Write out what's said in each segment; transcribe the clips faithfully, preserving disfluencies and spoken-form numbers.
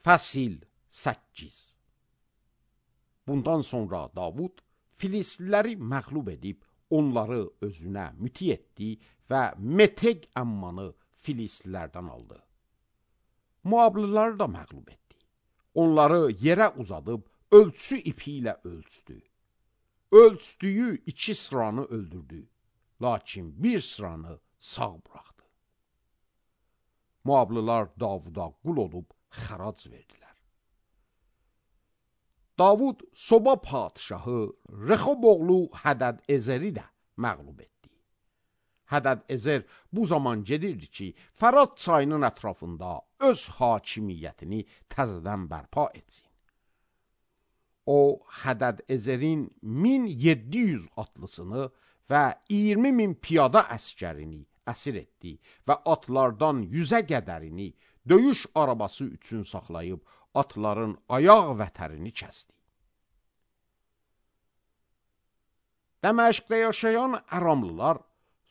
Fəsil səkkiz. Bundan sonra Davud Filistliləri məğlub edib, onları özünə müti etdi və Meteg əmmanı Filistlilərdən aldı. Moablıları da məğlub etdi. Onları yerə uzadıb, ölçü ipi ilə ölçdü. Ölçdüyü iki sıranı öldürdü, lakin bir sıranı sağ buraxdı. Moablılar Davuda qul olub xərac verdilər. Davud Soba padşahı Rexob oğlu Hədəd-Ezeri də məğlub etdi. Hədəd-Ezer bu zaman gedirdi ki, Fərat çayının ətrafında öz hakimiyyətini təzədən bərpa etsin. O, Hədəd-Ezerin min yeddi yüz atlısını və iyirmi min piyada əskərini əsir etdi və atlardan yüzə qədərini döyüş arabası üçün saxlayıb, atların ayaq vətərini kəsdi. Dəməşqdə yaşayan Əramlılar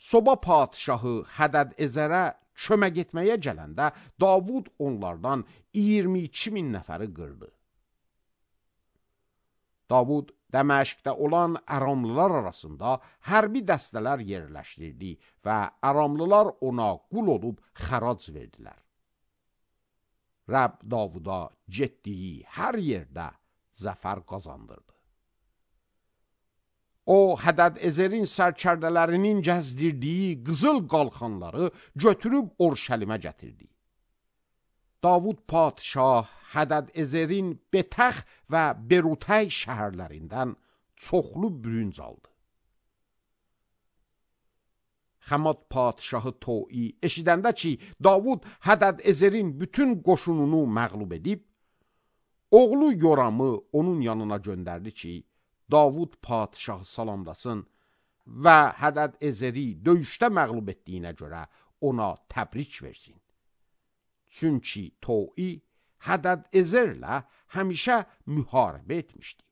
Soba padşahı Hədəd-Ezərə kömək etməyə gələndə Davud onlardan iyirmi iki min nəfəri qırdı. Davud Dəməşqdə olan Əramlılar arasında hərbi dəstələr yerləşdirdi və Əramlılar ona qul olub xərac verdilər. Rəbb Davuda getdiyi hər yerdə zəfər qazandırdı. O, Hədəd-Ezerin sərkərdələrinin gəzdirdiyi qızıl qalxanları götürüb Orşəlimə gətirdi. Davud padşah Hədəd-Ezerin Betəx və Berutəy şəhərlərindən çoxlu bürünc aldı. Xəmad padşahı Toi eşidəndə ki, Davud Hədəd-Ezerin bütün qoşununu məğlub edib, oğlu Yoramı onun yanına göndərdi ki, Davud padşahı salamlasın və Hədəd-Ezeri döyüşdə məğlub etdiyinə görə ona təbrik versin. Çünki Toi Hədəd-Ezerlə həmişə müharibə etmişdi.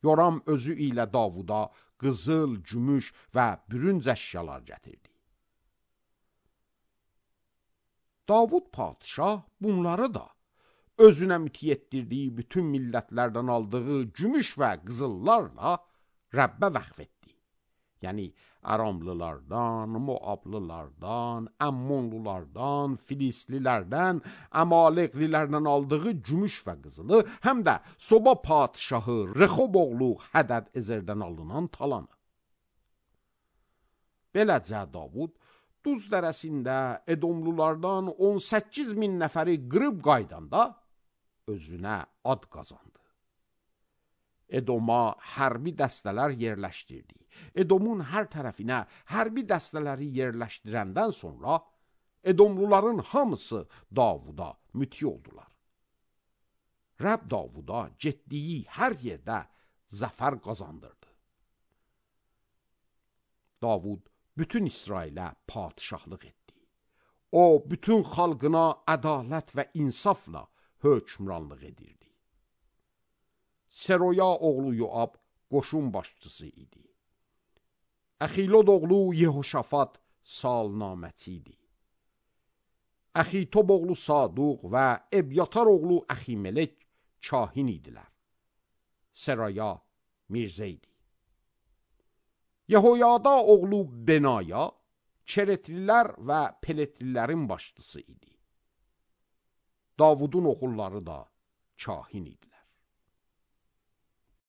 Yoram özü ilə Davuda qızıl, gümüş və bürünc əşyalar gətirdi. Davud padşah bunları da özünə müti etdirdiyi bütün millətlərdən aldığı gümüş və qızıllarla Rəbbə vəqf etdi. Yəni Aramlılardan, Moablılardan, Əmmonlulardan, Filistlilərdən, Əmaleqlilərdən aldığı gümüş və qızılı, həm də Soba padşahı Rexob oğlu Hədəd-Ezerdən alınan talanı. Beləcə Davud Duz dərəsində Edomlulardan on səkkiz min nəfəri qırıb qaydanda özünə ad qazandı. Edoma hərbi dəstələr yerləşdirdi. Edomun hər tərəfinə hərbi dəstələri yerləşdirəndən sonra Edomluların hamısı Davuda müti oldular. Rəbb Davuda getdiyi hər yerdə zəfər qazandırdı. Davud bütün İsrailə padşahlıq etdi. O, bütün xalqına ədalət və insafla hökmranlıq edirdi. Seroya oğlu Yoab qoşun başçısı idi. Əxilod oğlu Yehoşafat salnaməçi idi. Əxitob oğlu Saduq və Ebyatar oğlu Əximelek kahin idilər. Seraya Mirzə idi. Yehoyada oğlu Benaya Keretlilər və Peletlilərin başçısı idi. Davudun oğulları da kahin idilər.